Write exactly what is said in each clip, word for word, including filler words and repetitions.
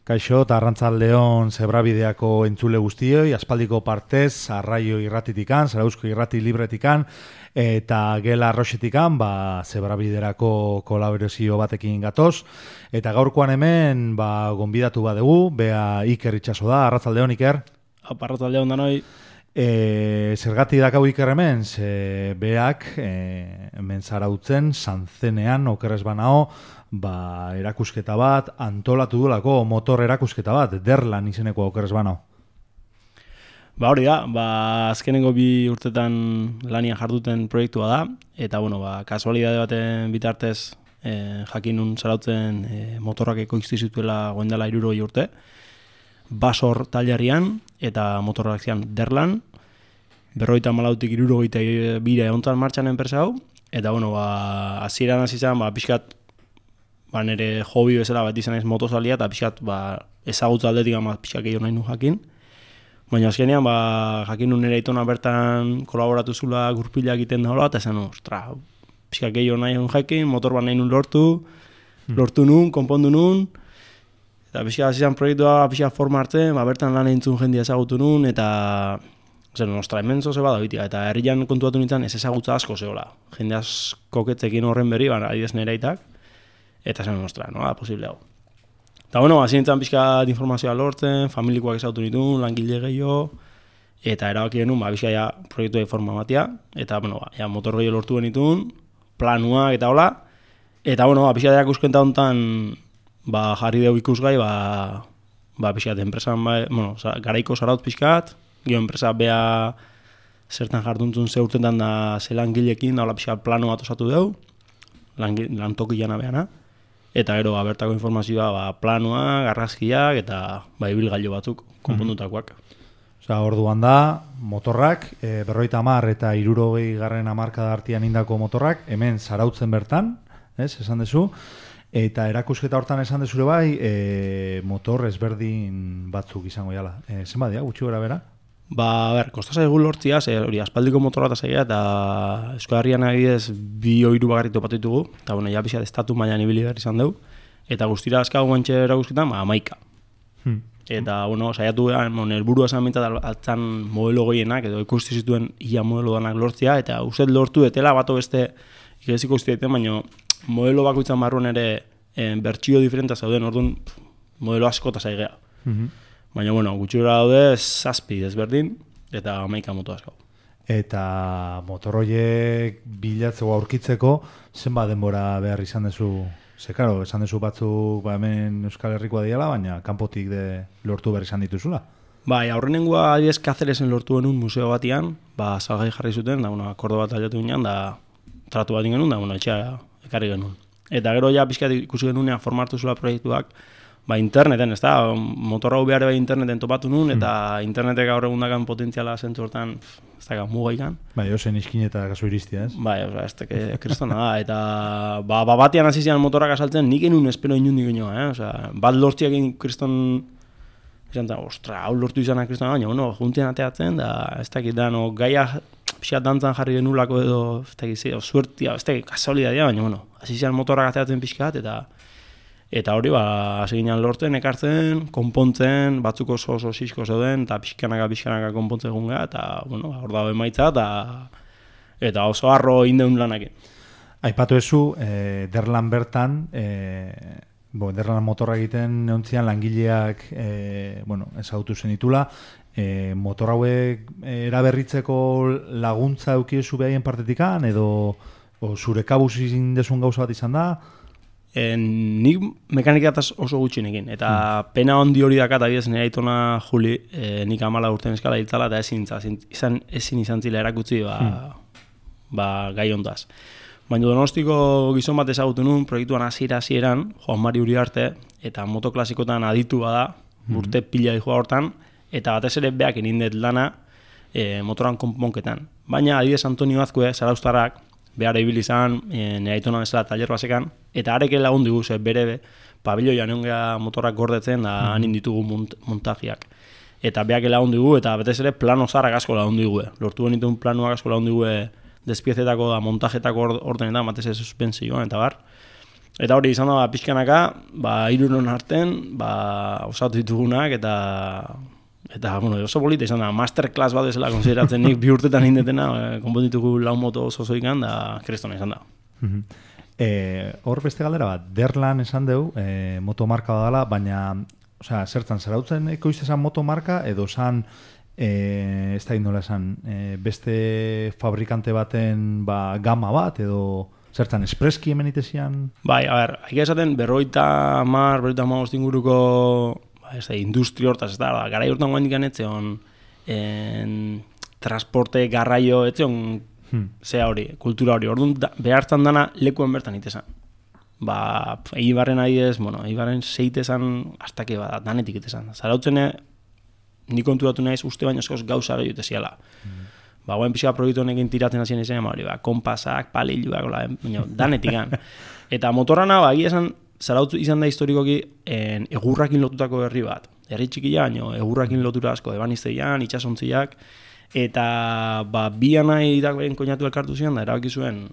Kaixo, eta Arrantzaldeon Zebrabideako entzule guztioi, aspaldiko partez, Arraio irratitikan, Zarauzko irrati libretikan, eta Gela Arroxetikan, ba, Zebrabiderako kolaborazio batekin gatoz. Eta gaurkoan hemen, ba, gonbidatu badugu, bea Iker Itxaso da, Arrantzaldeon, Iker. Arrantzaldeon danoi. E, zergati dakau Iker hemen, ze beak, e, hemen zarautzen, Sanzenean, okerrez banao, ba, erakusketa bat, antolatu duelako motor erakusketa bat, Derlan izeneko okerrez banao. Ba hori da, ba, azkenengo bi urtetan lanian jarduten proiektua da, eta bueno, ba, kasualidade baten bitartez eh, jakinun zarautzen eh, motorrak ekoizti zituela goendela hirurogei urte, basor talarian eta motorrak zian Derlan, berrogeita hamalautik hirurogeita bira egontzan martxan enpresa hau, eta bueno, ba, hasieran hasi zen, ba, pixkat, ba, nire hobi bezala bat izan ez motozalia, eta pixkat, ba, ezagutza aldetik ama pixkat gehiago nahi nu jakin. Baina azkenean, ba, jakin nun nire aitona bertan kolaboratu zula gurpila egiten da hola, eta esan, ostra, pixkat gehiago nahi nun jakin, motor bat nahi nun lortu, lortu nun, konpondu nun, eta pixkat hasi zen proiektua pixkat forma hartzen, ba, bertan lan entzun jendia ezagutu nun, eta zer, nostra, hemen zoze bada bitia, eta herrian kontuatu nintzen ez ezagutza asko zehola. Jende asko ketzekin horren berri, ba, adidez nire aitak, eta zen nostra, no, da, posible hau. Eta bueno, hasi nintzen pixka informazioa lortzen, familikoak ezautu nituen, langile gehiago, eta erabaki genuen, ba, pixka ja proiektu forma batia, eta bueno, ba, ja, motor gehiago lortu genituen, planuak eta hola, eta bueno, ba, pixka erakuskenta honetan, ba, jarri dugu ikusgai, ba, ba, pixka enpresan, ba, bueno, garaiko zaraut pixkat, gio enpresa bea zertan jarduntzun ze urtetan da ze langilekin, da hola pixka plano bat osatu dugu, lantoki jana behana, eta gero ba, bertako informazioa ba, planoa, garrazkiak eta ba, ibilgailu batzuk konpondutakoak. Mm-hmm. Osa, orduan da, motorrak, e, berroita hamar eta hirurogei garren hamarkada artean indako motorrak, hemen zarautzen bertan, ez, esan dezu, eta erakusketa hortan esan dezure bai, e, motor ezberdin batzuk izango jala. E, zenba dia, gutxi gara bera? Ba, a ber, kostaz egun lortzia, ze hori aspaldiko motorra eta zaila, eta Euskal Herrian adibidez bi oiru bagarri topatu ditugu, eta bueno, ja pixat estatu mailan ibili behar izan dugu, eta guztira azkago guantxe erakusketan, ba, amaika. Hmm. Eta, bueno, saiatu behar, bueno, helburua esan bintzat altzan modelo goienak, edo ikusti zituen ia modelo danak lortzia, eta uste lortu etela bato beste ikesiko uste ditzen, baina modelo bakoitzan barruan ere eh, bertsio diferenta zauden, orduan modelo asko eta zaigea. Hmm. Baina, bueno, gutxura daude zazpi desberdin eta amaika moto asko. Eta motorroiek bilatzeko aurkitzeko, zenba denbora behar izan dezu? Ze, karo, esan dezu batzuk ba, hemen Euskal Herrikoa diala, baina kanpotik de lortu behar izan dituzula. Bai, aurrenengoa adibidez Cáceresen lortu genuen museo batian, ba, salgai jarri zuten, da, bueno, akordo bat aldatu ginean, da, tratu bat genuen, da, bueno, etxea ekarri genuen. Eta gero ja pixkat ikusi genunean formartu zula proiektuak, ba, interneten, ez da, motor hau behar bai interneten topatu nun, eta mm. internetek gaur egundakan potentziala zentzu hortan, ez da, mugaikan. Bai, ozen iskin eta kaso iristia, ez? Bai, oza, ez teke kristona da, eta ba, ba batian hasi zian motorak asaltzen, nik enun espero inundik inoa, eh? Oza, bat lortziak egin kriston, izan da, ostra, hau lortu izana kristona, baina, bueno, juntien ateatzen, da, ez dakit, da, no, gaia pixat dantzan jarri genulako edo, ez dakit, zi, suertia, ez dakit, kasualidadia, baina, bueno, hasi zian motorak ateatzen pixkat, eta Eta hori, ba, hasi ginen lortzen, ekartzen, konpontzen, batzuk oso oso sisko zeuden, eta pixkanaka, pixkanaka konpontzen gunga, eta, bueno, hor dago emaitza, eta, eta oso harro indeun lanakin. Aipatu ezu, eh, Derlan bertan, eh, bo, Derlan motorra egiten neuntzian langileak, eh, bueno, ezagutu zen ditula, eh, motor hauek eraberritzeko laguntza eukiezu behaien partetikan, edo o, zure kabuz izin desun gauza bat izan da? En, nik mekanikataz oso gutxinekin, eta hmm. pena handi hori dakat, adibidez nire aitona Juli, e, nik amala urten eskala hiltzala, eta ezin, izan, ezin izan zila erakutzi ba, hmm. ba, gai hontaz. Baina Donostiko gizon bat ezagutu nun, proiektuan hasiera hasieran Juan Mari Uriarte, eta motoklasikotan aditu bada, hmm. urte pila dihoa hortan, eta batez ere beak inindet lana e, motoran konponketan. Baina adibidez Antonio Azkue, Zarauztarrak, behar ibili izan, e, nire aitona bezala taller basekan, eta areke lagun digu, ze bere be, pabiloian egon motorrak gordetzen, da mm. hanin ditugu mont, montajiak. Eta beak lagun digu, eta betez ere plano zarrak asko lagun digu. Lortu genituen planuak asko lagun digu despiezetako da montajetako ordenetan, batez ere suspensioan, eta bar. Eta hori izan da, ba, pixkanaka, ba, hiruron arten, ba, osatu ditugunak, eta, eta, bueno, oso polita izan da, masterclass bat ezela konsideratzen nik bi urtetan indetena, e, konponditugu lau moto oso zoikan, da, kristona izan da. E, hor beste galdera bat, Derlan esan dugu, e, motomarka badala, baina, osea, zertan, zarautzen ekoizte esan motomarka, edo esan, e, ez da indola esan, e, beste fabrikante baten ba, gama bat, edo zertan, espreski hemen itezian? Bai, a ber, haik esaten, berroita mar, berroita mar inguruko, ba, ez da, industri hortaz, ez da, da garai hortan guain dikan etzeon, en, transporte, garraio, etzeon, Hmm. Zea hori, kultura hori, orduan da, behartzen dana lekuen bertan itezan. Ba, Eibarren adidez, bueno, Eibarren zeitezan astake bada, danetik itezan. Zarautzene, ni konturatu naiz uste baino eskoz gauzara juteziala. Hmm. Ba, guen pixka proiektu honekin tiratzen hasien izan, hori, ba, kompasak, paliluak, baina, danetikan. Eta motorrana, ba, egia esan, Zarautz izan da historikoki en, egurrakin lotutako herri bat. Herri txikia, baino, egurrakin lotura asko, ebanizteian, itxasontziak, eta ba, bi anai irakberen koinatu elkartu zian, da erabaki zuen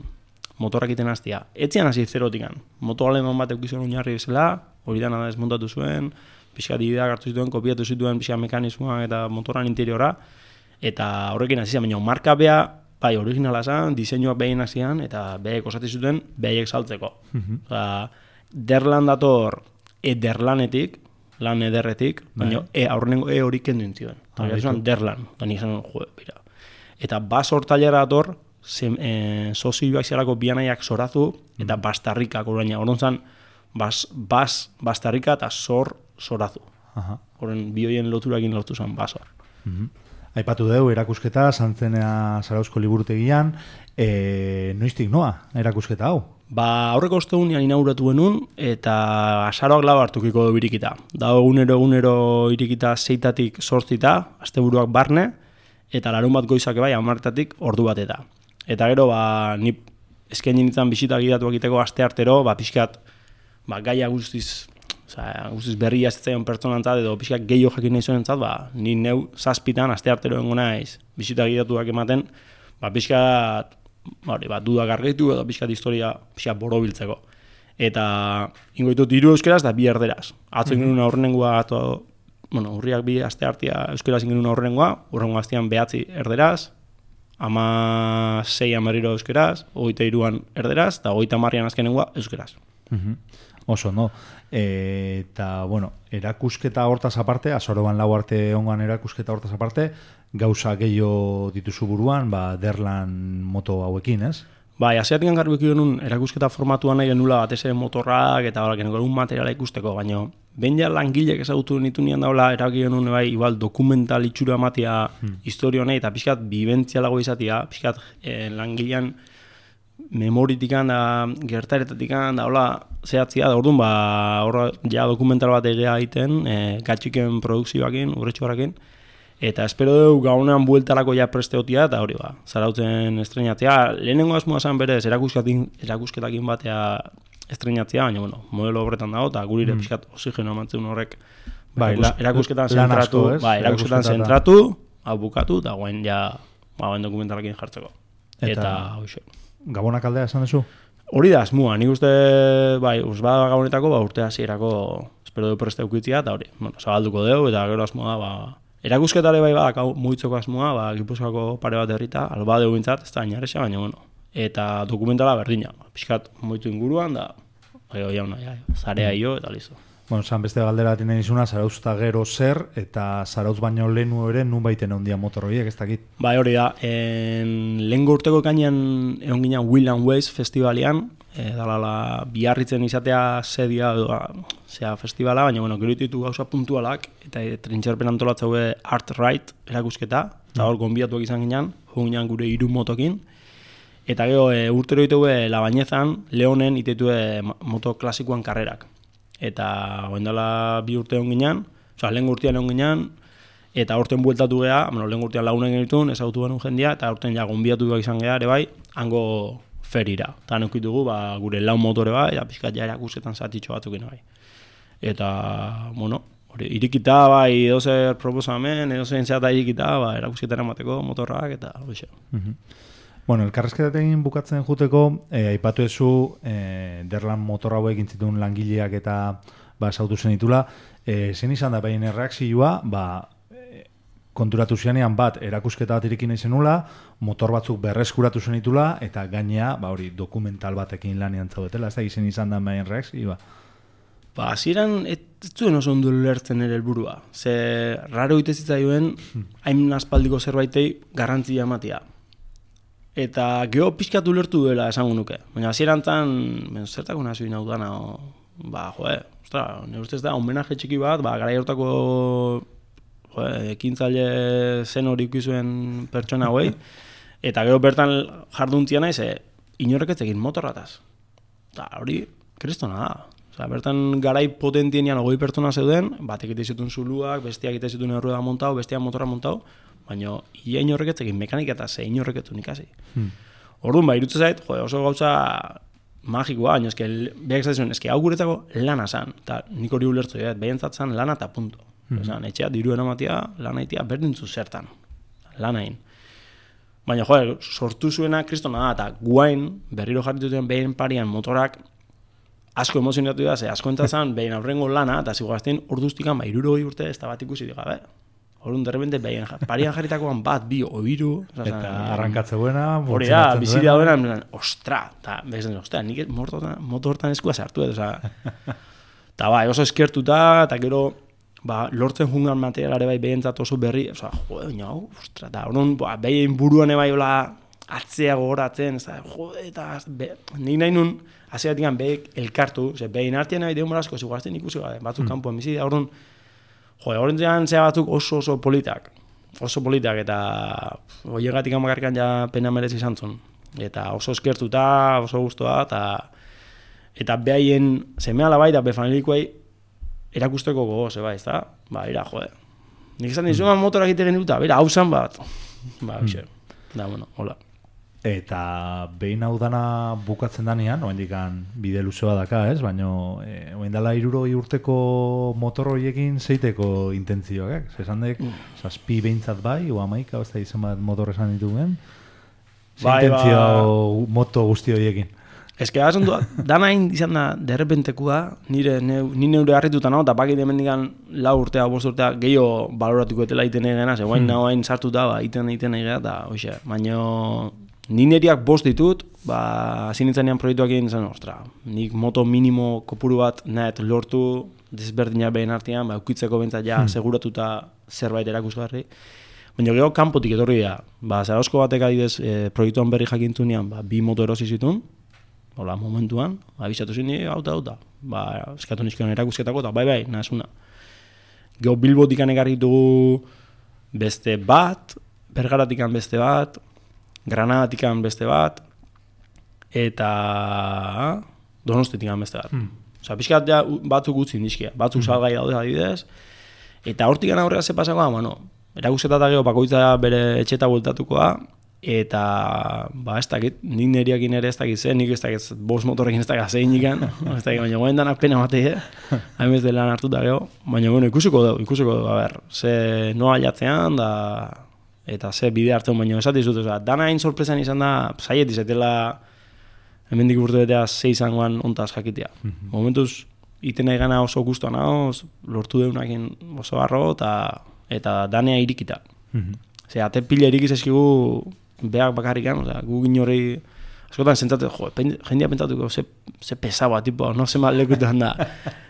motorrak iten hastia. Etzian hasi zerotikan. Moto aleman bat eukizuen oinarri bezala, hori dana da desmontatu zuen, pixka dibideak hartu zituen, kopiatu zituen pixka mekanismoa eta motoran interiora, eta horrekin hasi zian, baina marka bea, bai, originala zan, diseinuak behin hasian, eta beek osati zuten behaiek saltzeko. Mm-hmm. Oza, Derlan dator ederlanetik, lan ederretik, baina e, aurrenengo e hori kendu intzioen. Ah, eta Derlan, da nik zanen, jo, bera. Eta bas hortailera dator, e, sozioak zialako bianaiak zorazu, eta bastarrikak, oraina, horon zan, bas, bas, bastarrika eta zor zorazu. Horren, bioien loturakin lotu zen basor. Mm-hmm. Aipatu dugu, erakusketa, Santzenea Zarauzko liburutegian, e, noiztik noa, erakusketa hau? Ba, aurreko ostegunean inauguratu genuen, eta azaroak lau hartukiko du irikita. Da, egunero egunero irikita zeitatik sortzita, asteburuak barne, eta larun bat goizak bai, hamartatik ordu bat eta. Eta gero, ba, ni eskaini nintzen bisita gidatuak iteko aste artero, ba, pixkat, ba, gaia guztiz, oza, guztiz berria zitzaion pertsonantzat, edo pixkat gehiago jakin nahi zuenentzat, ba, ni neu zazpitan aste artero engo naiz bisita gidatuak ematen, ba, pixkat, hori, ba, dudak argitu edo pixkat historia pixkat borobiltzeko. Eta ingoitut hiru euskeraz da bi erderaz. Atzo ingenuen aurrenengoa, ato, bueno, urriak bi aste hartia euskeraz ingenuen aurrenengoa, urrengo astean behatzi erderaz, ama sei amarriro euskeraz, hogeita hiruan erderaz, eta hogeita hamarrean azkenengoa euskeraz. Uh-huh. Oso, no? E, eta, bueno, erakusketa hortaz aparte, azoroban lau arte ongan erakusketa hortaz aparte, gauza gehiago dituzu buruan, ba, Derlan moto hauekin, ez? Bai, asiatik garbi genuen erakusketa formatuan nahi genula batez ere motorrak eta hola, genuen materiala ikusteko, baina behin ja langilek ezagutu nitu nian daula, erabaki genuen bai, igual dokumental itxura ematia hmm. historio nahi, eta pixkat bibentzialago izatea, pixkat eh, langilean memoritikan da, gertaretatik,an da, hola, zehatzia, da orduan, ba, horra, ja dokumental bat egea egiten, e, gatxiken produkzioakin, urretxoarekin, eta espero dugu gaunean bueltarako ja presteotia, eta hori ba, Zarautzen estrenatzea. Lehenengo asmoa zen berez, erakusketakin batea estrenatzea, baina, bueno, modelo horretan dago, eta gurire mm. pixkat oxigeno amantzen horrek, ba, erakusketan zentratu, ba, erakusketan zentratu, hau bukatu, eta guen ja, ba, guen dokumentalakin jartzeko. Eta, eta hoxe. Gabonak aldea esan duzu? Hori da, asmoa, nik uste, bai, uzbada gabonetako, ba, urte hasierako espero du preste ukitzia, eta hori, bueno, zabalduko dugu, eta gero asmoa da, ba, erakusketare bai badak mugitzeko asmoa, ba, Gipuzkoako pare bat herrita, alba dugu bintzat, ez da inarexa, baina, bueno, eta dokumentala berdina, pixkat moitu inguruan, da, bai, jauna, ja, zarea io, eta listo. Bueno, zan beste galdera bat inen izuna, Zarauz eta gero zer, eta Zarauz baino lehenu ere, nun baiten ondia motorroiek, ez dakit? Bai, hori da, en, lehen urteko kainan egon ginen Will and Ways festivalian, e, dalala biarritzen izatea zedia, edo, zea festivala, baina, bueno, gero ditu gauza puntualak, eta e, trintxerpen antolatza hue Art Ride erakusketa, eta hor gonbiatuak izan ginen, jo ginen gure hiru motokin, eta gero e, urtero ditue Labainezan, Leonen itetue moto klasikoan karrerak. Eta oendala bi urte hon ginean, oza, lehen urtean hon ginean, eta aurten bueltatu geha, bueno, lehen urtean lagunen genitun, ezagutu genuen jendia, eta aurten ja gonbiatu izan geha, ere bai, hango ferira. Eta nukitugu, ba, gure lau motore bai, eta pixkat ja erakusketan zatitxo batzukin bai. Eta, bueno, hori, irikita bai, edo zer proposamen, edo zer zeata irikita, ba, erakusketan emateko motorrak, eta hoxe. Mm-hmm. Bueno, elkarrezketatekin bukatzen juteko, eh, aipatu ezu, eh, derlan motor hauek intzitun langileak eta ba, sautu zenitula, eh, zen izan da behin erreakzioa, ba, eh, konturatu zianean bat, erakusketa bat irikin izenula, motor batzuk berreskuratu zenitula, eta gainea, ba, hori, dokumental batekin lanian zaudetela, ez da izen izan da behin erreakzioa. Ba, hasieran ez zuen oso ondo lertzen ere helburua. Ze raro ite zitzaioen, hain aspaldiko zerbaitei garrantzia ematea. Eta geho pixkatu lertu duela esango nuke. Baina hasierantzan, ben, zertako nazio inaudana, o, ba, joe, ostra, nire ustez da, homenaje txiki bat, ba, gara hortako joe, ekintzaile zen hori ikizuen pertsona hauei, eta gero bertan jarduntzian naiz, e, inorrek ez egin motorrataz. Eta hori, kristona da. Osa, bertan garai potentienean ogoi pertsona zeuden, batek ite zituen zuluak, bestiak ite zituen errueda montau, bestiak motorra montau, baina ia inorrek ez egin mekanika eta ze inorrek ez ikasi. Hmm. Orduan, ba, irutzen zait, jo, oso gauza magikoa, baina eske, behak zaizuen, eske hau guretzako lana zan, eta nik hori ulertzu, ja, behentzat lana eta punto. Hmm. Esan, etxea, diruen amatia, lana itia, berdintzu zertan, lanain. Baina, jo, sortu zuena kristona da, eta guain, berriro jarrituten behen parian motorak, asko emozionatu da, ze asko entzazan, behin aurrengo lana, eta ziguazten orduztikan, ba, irurogei urte ez da bat ikusi digabe. Horun, derrepente, behin parian jarritakoan bat, bi, oiru. Eta arrankatze buena, hori da, biziri da buena, ostra, eta bezen, ostra, nik moto hortan eskua sartu, eta eta ba, oso eskertuta, eta gero, ba, lortzen jungan materialare bai behentzat oso berri, oza, jode, baina, ostra, eta horun, ba, behin buruan ebai hola, atzea gogoratzen, ez da, jode, eta nik nahi nun, haseatik behek elkartu, ze behin artean nahi deun asko ziguazten ikusi gabe, batzuk mm. kanpoan bizi, horren, jode, horren zean zea batzuk oso oso politak, oso politak, eta hoiegatik amakarkan ja pena merezi izan zuen, eta oso eskertuta, oso guztua, eta eta behaien semea bai da befanilikoei erakusteko gogo, zeba, ez da, ba, ira, jode, nik esan dizuan mm. motorak egiten duta, bera, hau zan bat, ba, mm. da, bueno, hola. Eta behin hau dana bukatzen danean, oendikan bide luzea daka, ez? Baina e, oendala hirurogei urteko motor horiekin zeiteko intentzioak, ez? Esan dek, mm. zazpi behintzat bai, o amaika, ez da izan bat motor esan dituen, ze bai, intentzio ba... moto guzti horiekin. Ez que hasen du, dana hain izan da derrepentekua, nire, neu, nire neure harrituta nago, eta bakit hemendikan lau urtea, bost urtea, gehiago baloratuko etela iten egena, ze guain mm. nago hain sartuta, ba, iten egiten egea, eta hoxe, baina... Ni neriak bost ditut, ba, zinitzanean proiektuak egin zen, ostra, nik moto minimo kopuru bat nahet lortu, desberdinak behin artean, ba, ukitzeko bentzat ja, hmm. seguratuta zerbait erakusgarri. Baina gero kanpotik etorri da, ba, Zarauzko batek adidez e, proiektuan berri jakintunean, ba, bi moto erosi zituen, hola, momentuan, abisatu zini, hauta, hauta, ba, eskatu nizkion erakusketako, eta bai, bai, nahazuna. Gero Bilbotikan ekarri dugu beste bat, Bergaratikan beste bat, Granadatikan beste bat, eta Donostetikan beste bat. Hmm. Osa, pixkat ja batzuk utzi indizkia, batzuk hmm. salgai daude adibidez, eta hortikan aurrera ze pasakoa, bueno, erakusketa gero bakoitza bere etxeta bueltatukoa, eta, ba, ez dakit, nik neriakin ere ez dakit zen, nik ez dakit bost motorrekin ez dakit zein ikan, ez dakit, baina goen danak pena matei, eh? Hain bez de lan hartuta gero, baina, bueno, ikusiko dugu, ikusiko dugu, a ber, ze noa jatzean, da... eta ze bide hartzen, baina esat dizut, oza, dana hain sorpresan izan da, zaiet izetela hemendik urte betea ze izangoan ontaz jakitea. Mm-hmm. Momentuz, iten nahi gana oso guztua nago, lortu deunakin oso barro, eta, eta danea irikita. Mm-hmm. Ze, ate pila irikiz eskigu behak bakarrikan, oza, gu ginorei, askotan zentzatu, jo, jendia pentsatuko, ze, ze pesaua, tipo, no ze mal lekutuan da.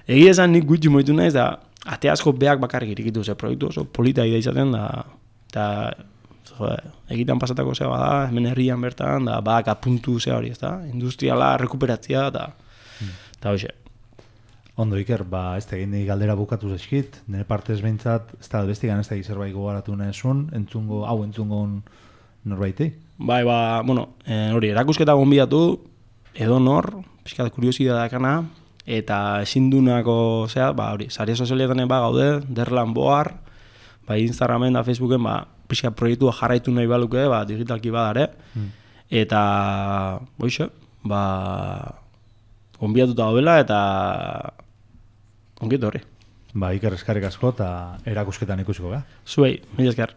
Egi esan nik gutxi moitu naiz, da, ate asko behak bakarrik irikitu, ze, proiektu oso polita ida izaten, da, eta egitan pasatako zea bada, hemen herrian bertan, da bak apuntu zea hori, ez da, industriala rekuperatzea, eta hmm. hoxe. Ondo, Iker, ba, ez da egin galdera bukatu zeskit, nire partez behintzat, ez da, bestigan ez da zerbait gogaratu nahezun, entzungo, hau entzungon norbaitei? Bai, ba, bueno, eh, hori, erakusketa gonbidatu, edo nor, pixkat kuriosidad dakana, eta ezindunako, zea, ba, hori, sare sozialetan ba gaude, derlan boar, ba, Instagramen da Facebooken, ba, pixka proiektua jarraitu nahi baluke, ba, digitalki badare, hmm. eta, boixe, ba, gonbiatuta daudela, eta ongiet horri. Ba, Iker eskarrik asko, eta erakusketan ikusiko, ga? Zuei, mila esker.